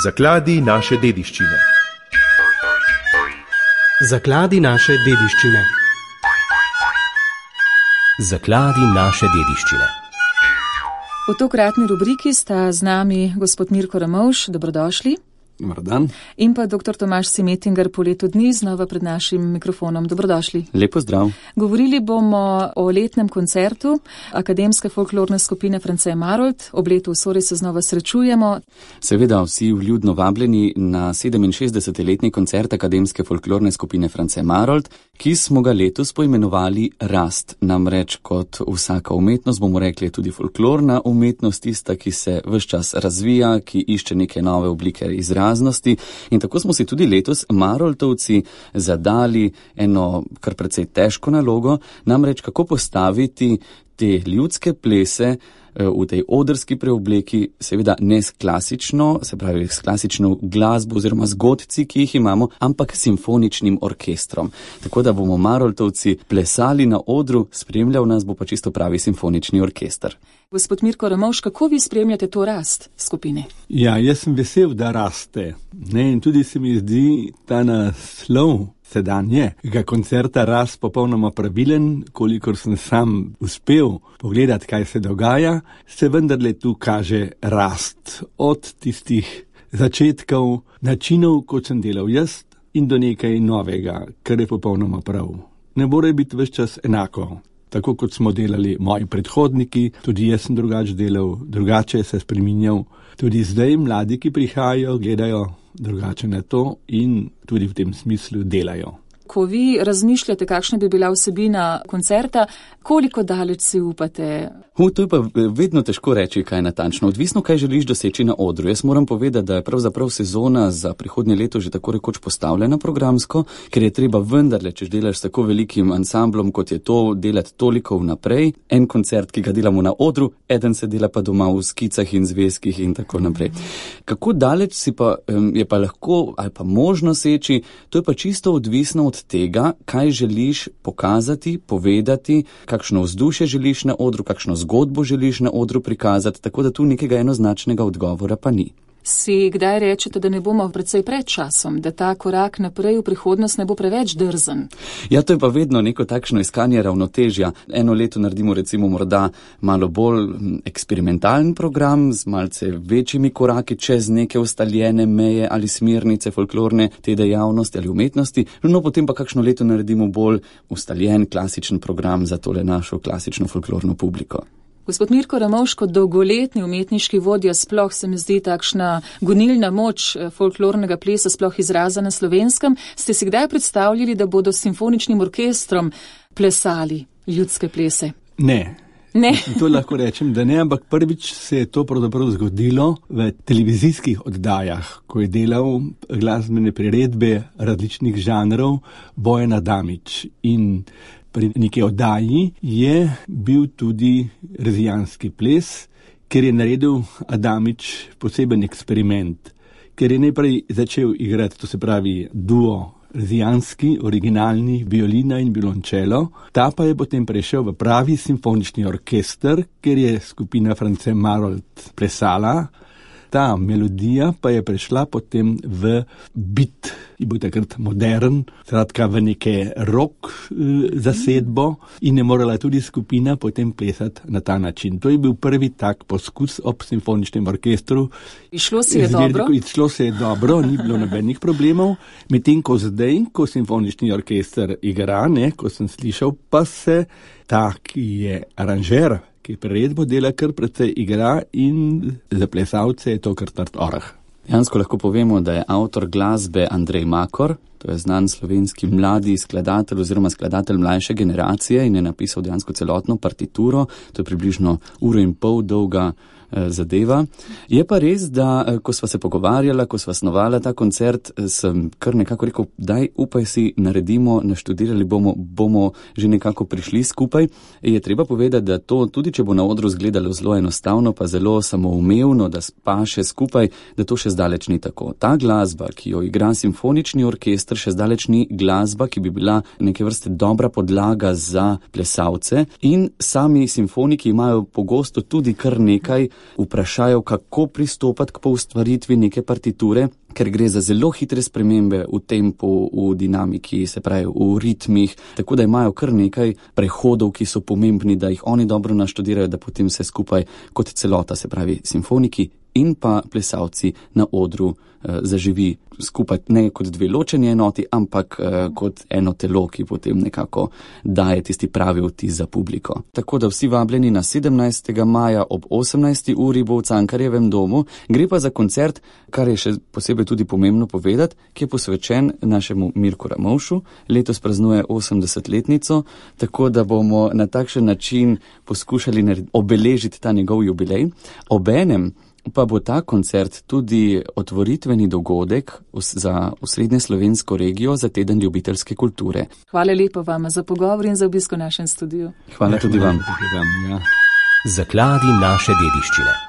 Zakladi naše dediščine. Zakladi naše dediščine. Zakladi naše dediščine. V tokratni rubriki sta z nami gospod Mirko Ramovš, dobrodošli. Dobar dan. In pa dr. Tomaž Simetinger po letu dni znova pred našim mikrofonom. Dobrodošli. Lepo zdrav. Govorili bomo o letnem koncertu Akademske folklorne skupine France Marolt. Ob letu v Sori se znova srečujemo. Seveda vsi vljudno vabljeni na 67. letni koncert Akademske folklorne skupine France Marolt, ki smo ga letos poimenovali Rast. Namreč kot vsaka umetnost, bomo rekli, tudi folklorna umetnost, tista, ki se ves čas razvija, ki išče neke nove oblike izraznosti. In tako smo si tudi letos Maroltovci zadali eno kar precej težko nalogo, namreč kako postaviti te ljudske plese v tej odrski preobleki, seveda ne s klasično, se pravi s klasično glasbo oziroma zgodci, ki jih imamo, ampak simfoničnim orkestrom. Tako da bomo Maroltovci plesali na odru, spremljal nas bo pa čisto pravi simfonični orkester. Gospod Mirko Ramovš, kako vi spremljate to rast skupine? Ja, jaz sem vesel, da raste. In tudi se mi zdi ta naslov sedanjega koncerta Rast popolnoma pravilen, kolikor sem sam uspel pogledati, kaj se dogaja, se vendarle tu kaže rast od tistih začetkov, načinov, kot sem delal jaz, in do nekaj novega, kar je popolnoma prav. Ne more biti ves čas enako. Tako kot smo delali moji predhodniki, tudi jaz sem drugače delal, drugače se spreminjal. Tudi zdaj mladi, ki prihajajo, gledajo drugače na to in tudi v tem smislu delajo. Ko vi razmišljate, kakšna bi bila vsebina koncerta, koliko daleč si upate? To je pa vedno težko reči, kaj natančno. Odvisno, kaj želiš doseči na odru. Jaz moram povedati, da je pravzaprav sezona za prihodnje leto že tako rekoč postavljena programsko, ker je treba vendarle, če delaš s tako velikim ansamblom, kot je to, delati toliko vnaprej. En koncert, ki ga delamo na odru, eden se dela pa doma v skicah in zvezkih in tako naprej. Kako daleč si pa je pa lahko ali pa možno seči, to je pa čisto odvisno od tega, kaj želiš pokazati, povedati, kakšno vzdušje želiš na odru, kakšno zgodbo želiš na odru prikazati, tako da tu nekega enoznačnega odgovora pa ni. Si kdaj rečete, da ne bomo precej pred časom, da ta korak naprej v prihodnost ne bo preveč drzen? Ja, to je pa vedno neko takšno iskanje ravnotežja. Eno leto naredimo recimo morda malo bolj eksperimentalen program z malce večjimi koraki čez neke ustaljene meje ali smernice folklorne te dejavnosti ali umetnosti, no potem pa kakšno leto naredimo bolj ustaljen klasičen program za tole našo klasično folklorno publiko. Gospod Mirko Ramovš, kot dolgoletni umetniški vodja, sploh se mi zdi takšna gonilna moč folklornega plesa, sploh izraza na Slovenskem. Ste si kdaj predstavljali, da bodo s simfoničnim orkestrom plesali ljudske plese? Ne. To lahko rečem, da ne, ampak prvič se je to pravzaprav zgodilo v televizijskih oddajah, ko je delal glasbene priredbe različnih žanrov Bojan Adamič. In pri neki oddaji je bil tudi rezijanski ples, ker je naredil Adamič poseben eksperiment, ker je najprej začel igrati, to se pravi duo rezijanski, originalni, violina in violončelo, ta pa je potem prešel v pravi simfonični orkester, ker je skupina France Marolt plesala. Ta melodija pa je prešla potem v beat, ki bo takrat modern, skratka v neke rock zasedbo in je morala tudi skupina potem plesati na ta način. To je bil prvi tak poskus ob simfoničnem orkestru. Išlo se je dobro? Išlo se je dobro, ni bilo nobenih problemov. Medtem ko zdaj, ko simfonični orkester igra, ko sem slišal, pa se ta, ki je aranžer, ki priredbo dela, kar precej igra in za plesalce je to kar trd oreh. Jansko lahko povemo, da je avtor glasbe Andrej Makor, to je znan slovenski mladi skladatelj oziroma skladatelj mlajše generacije in je napisal dejansko celotno partituro, to je približno 1,5 ure dolga zadeva. Je pa res, da ko sva se pogovarjala, ko sva snovala ta koncert, sem kar nekako rekel, daj upaj si naredimo, naštudirali bomo že nekako prišli skupaj. Je treba povedati, da to tudi če bo na odru izgledalo zelo enostavno, pa zelo samoumevno, da paše skupaj, da to še zdaleč ni tako. Ta glasba, ki jo igra simfonični orkester, še zdaleč ni glasba, ki bi bila neke vrste dobra podlaga za plesalce, in sami simfoniki imajo pogosto tudi kar nekaj vprašajo, kako pristopati k poustvaritvi neke partiture, ker gre za zelo hitre spremembe v tempu, v dinamiki, se pravi v ritmih, tako da imajo kar nekaj prehodov, ki so pomembni, da jih oni dobro naštudirajo, da potem se skupaj kot celota, se pravi simfoniki in pa plesalci na odru zaživi skupaj ne kot dve ločeni enoti, ampak kot eno telo, ki potem nekako daje tisti pravi vtis za publiko. Tako da vsi vabljeni na 17. maja ob 18. uri bo v Cankarjevem domu. Gre pa za koncert, kar je še posebej tudi pomembno povedati, ki je posvečen našemu Mirku Ramovšu. Letos praznuje 80-letnico, tako da bomo na takšen način poskušali obeležiti ta njegov jubilej. Obenem pa bo ta koncert tudi otvoritveni dogodek za osrednje slovensko regijo za teden ljubiteljske kulture. Hvala lepo vam za pogovor in za obisk v našem studiu. Hvala tudi vam. Zakladi naše dediščine.